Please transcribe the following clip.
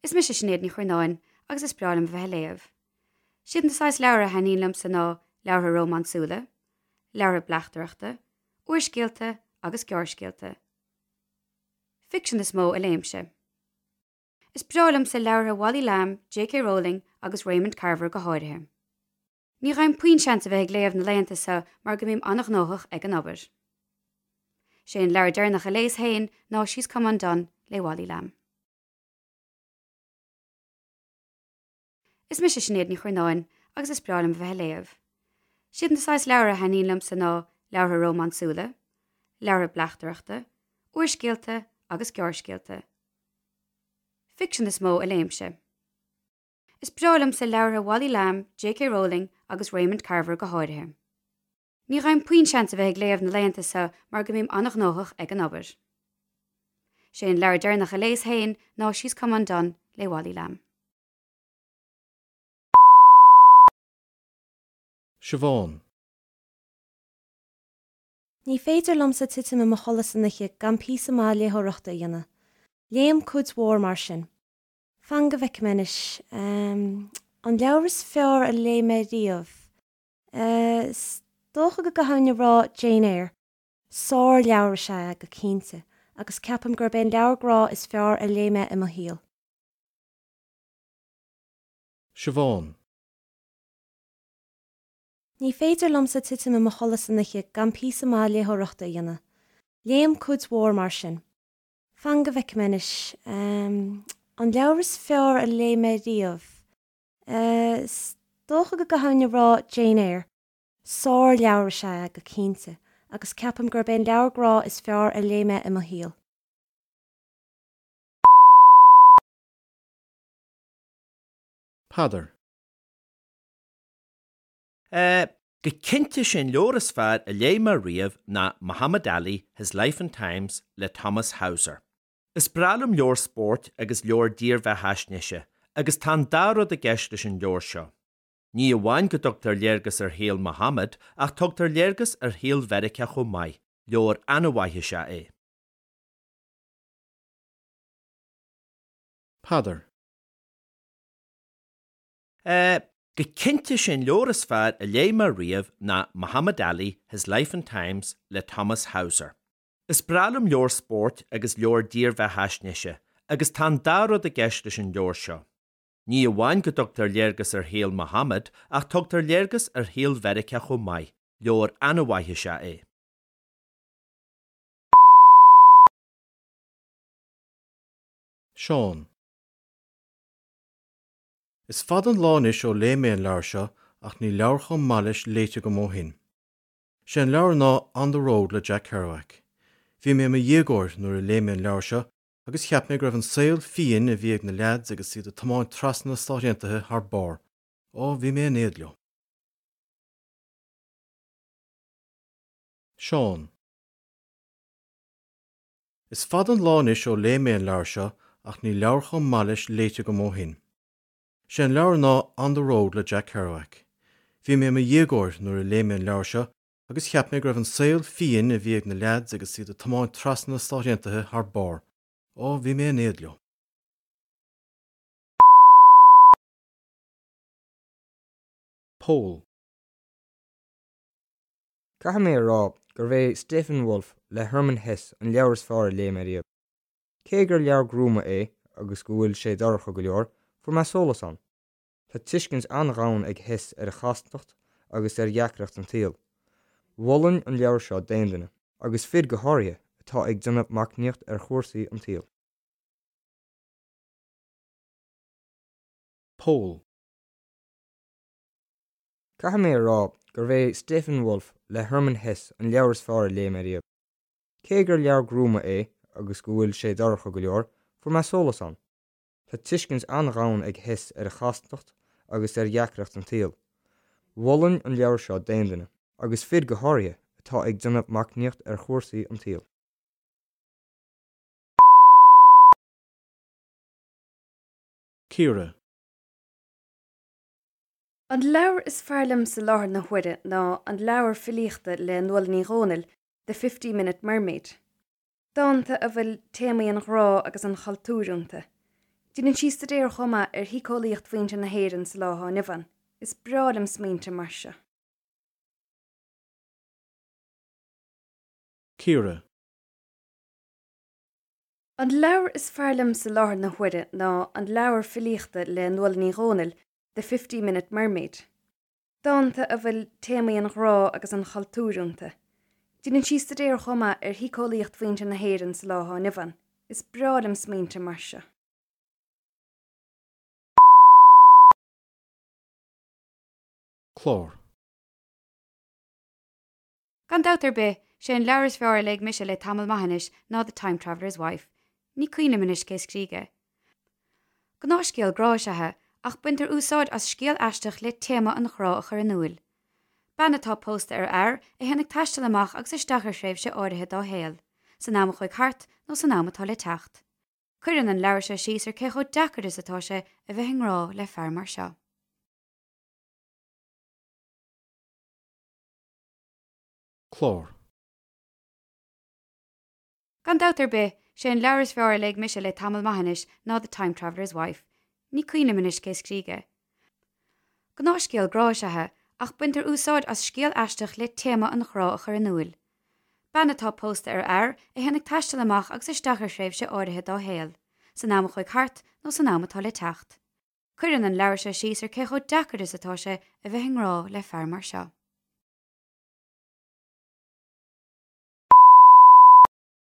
Is mise Sinéad Ní Churnáin agus is breá liom a bheith ag léamh. Siad na saghas leabhar a thaitníonn liomsa ná leabhartha rómánsúla, leabhartha bleachtaireachta, úrscéalta agus gearrscéalta. Ficsean is mó a léimse. Is breá liomsa leabhartha Wally Lamb, J.K. Rowling agus Raymond Carver go háirithe. Ní fhaighim puinn seans a bheith ag léamh na laethanta seo mar go mbím an-ghnóthach ag an obair. Sé an leabhar deireanach a léas féin ná She's Come Undone le Wally Lamb. Is mise Sinéad Ní Churnáin agus is breá liom a bheith ag léamh. Siad na saghas leabhar a thaitníonn liomsa ná leabhartha rómánsúla, leabhartha bleachtaireachta, úrscéalta agus gearrscéalta. Ficsean is mó a léimse. Is breá liomsa leabhartha Wally Lamb, J.K. Rowling agus Raymond Carver go háirithe. Ní fhaighim puinn seans a bheith ag léamh na laethanta seo mar go mbím an-ghnóthach ag an obair. Sé an leabhar deireanach a léas féin ná She's Come Undone le Wally Lamb. Siobhán. Ní féidir liomsa titim i mo chodladh san oíche gan píosa maith léitheoireachta a dhéanamh. Léim cuid mhór mar sin. Fan go bhfeicfidh mé anois. An leabhar is fearr a léigh mé riamh? Is dócha go gcaithfinn a rá Jane Eyre. Sár-leabhar is ea é, go cinnte, agus ceapaim gurb é an leabhar grá is fearr a léigh mé i mo shaol. Siobhán. Ní féidir liomsa titim i mo chodladh san oíche gan píosa maith léitheoireachta a dhéanamh. Léim cuid mhór mar sin. Fan go bhfeicfidh mé anois. An leabhar is fearr a léigh mé riamh? Is dócha go gcaithfinn a rá Jane Eyre. Sár-leabhar is ea é, go cinnte, agus ceapaim gurb é an leabhar grá is fearr a léigh mé i mo shaol. Peadar. Go cinnte sé an leabhar is fearr a léigh mé riamh ná Muhammad Ali, His Life and Times le Thomas Hauser. Is breá liom leabhair spóirt agus leabhair dírbheathaisnéise agus tá an dá rud i gceist leis an leabhar seo. Ní amháin go dtugtar léargas ar shaol Muhammad ach tugtar léargas ar shaol Mheiriceá chomh maith, leabhar an-mhaith is ea é. Peadar. Go cinnte sé an leabhar is fearr a léigh mé riamh ná Muhammad Ali, His Life and Times le Thomas Hauser. Is breá liom leabhair spóirt agus leabhair dírbheathaisnéise agus tá an dá rud i gceist leis an leabhar seo. Ní amháin go dtugtar léargas ar shaol Muhammad ach tugtar léargas ar shaol Mheiriceá chomh maith, leabhar an-mhaith is ea é. Seán. Is fada an lá anois ó léigh mé an leabhar seo ach níl leabhar chomh maith leis léite agam ó shin. Sé an leabhar ná On the Road le Jack Kerouac. Bhí mé i mo dhéagóir nuair a léigh mé an leabhar seo agus cheap mé go raibh an saol fiáin a bhí ag na leaids agus iad ag tiomáint trasna na Stát Aontaithe thar barr. Ó, bhí mé in éad leo. Seán. Is fada an lá anois ó léigh mé an leabhar seo ach níl leabhar chomh maith leis léite agam ó shin. Sé an leabhar ná On the Road le Jack Kerouac. Bhí mé i mo dhéagóir nuair a léigh mé an leabhar seo agus cheap mé go raibh an saol fiáin a bhí ag na leaids agus iad ag tiomáint trasna na Stát Aontaithe thar barr. Ó, bhí mé in éad leo. Pól. Caithfidh mé a rá gurbh é Steppenwolf le Hermann Hesse an leabhar is fearr a léigh mé riamh. Cé gur leabhar gruama é agus go bhfuil sé dorcha go leor, fuair mé sólás ann. Tá tuiscint an-dhomhain ag Hesse ar chastacht agus ar dheacracht an tsaoil. Mholfainn an leabhar seo d'aon duine, agus fir go háirithe, atá ag déanamh macnaíocht ar chúrsaí an tsaoil. Pól. Caithfidh mé a rá gurbh é Steppenwolf le Hermann Hesse an leabhar is fearr a léigh mé riamh. Cé gur leabhar gruama é agus go bhfuil sé dorcha go leor, fuair mé sólás ann. Tá tuiscint an-dhomhain ag Hesse ar chastacht agus ar dheacracht an tsaoil. Mholfainn an leabhar seo d'aon duine, agus fir go háirithe, atá ag déanamh macnaíocht ar chúrsaí an tsaoil. Ciara. An leabhar is fearr liomsa i láthair na huaire ná an leabhar filíochta le Nuala Ní Dhomhnaill, The Fifty Minute Mermaid. Dánta a bhfuil téamaí an ghrá agus an chultúir iontu. Déanann sí staidéar chomh maith ar shíceolaíocht mhuintir na hÉireann sa lá atá inniu ann. Is breá liom smaointe mar seo. Ciara. An leabhar is fearr liom sa láthair na huaire ná an leabhar filíochta le Nuala Ní Dhomhnaill, The 50 Minute Mermaid. Dánta a bhfuil téamaí an ghrá agus an chultúir iontu. Déanann sí staidéar chomh maith ar shíceolaíocht mhuintir na hÉireann sa lá atá inniu ann. Is breá liom smaointe mar seo. Clár. Gan dabht ar bith, sé an leabhar is fearr a léigh mise le tamall maith anois ná The Time Traveller's Wife. Ní cuimhin liom anois cé scrígh é. Gnáthscéal grá is ea é, ach baintear úsáid as scéal aisteach le téama an ghrá a chur in iúil. Bean atá pósta ar fhear a théann ag taisteal amach agus isteach ar thréimhse áirithe dá shaol, san am a chuaigh thart nó san am atá le teacht. Cuireann an leabhar seo síos ar cé chomh deacair is atá sé a bheith i ngrá le fear mar seo. Clár. Gan dabht ar bith, sé an leabhar is fearr a léigh mise le tamall maith anois ná The Time Traveller's Wife. Ní cuimhin liom anois cé scrígh é. Gnáthscéal grá is ea é, ach baintear úsáid as scéal aisteach le téama an ghrá a chur in iúil. Bean atá pósta ar fhear a théann ag taisteal amach agus isteach ar thréimhse áirithe dá shaol, san am a chuaigh thart nó san am atá le teacht. Cuireann an leabhar seo síos ar cé chomh deacair is atá sé a bheith i ngrá le fear mar seo.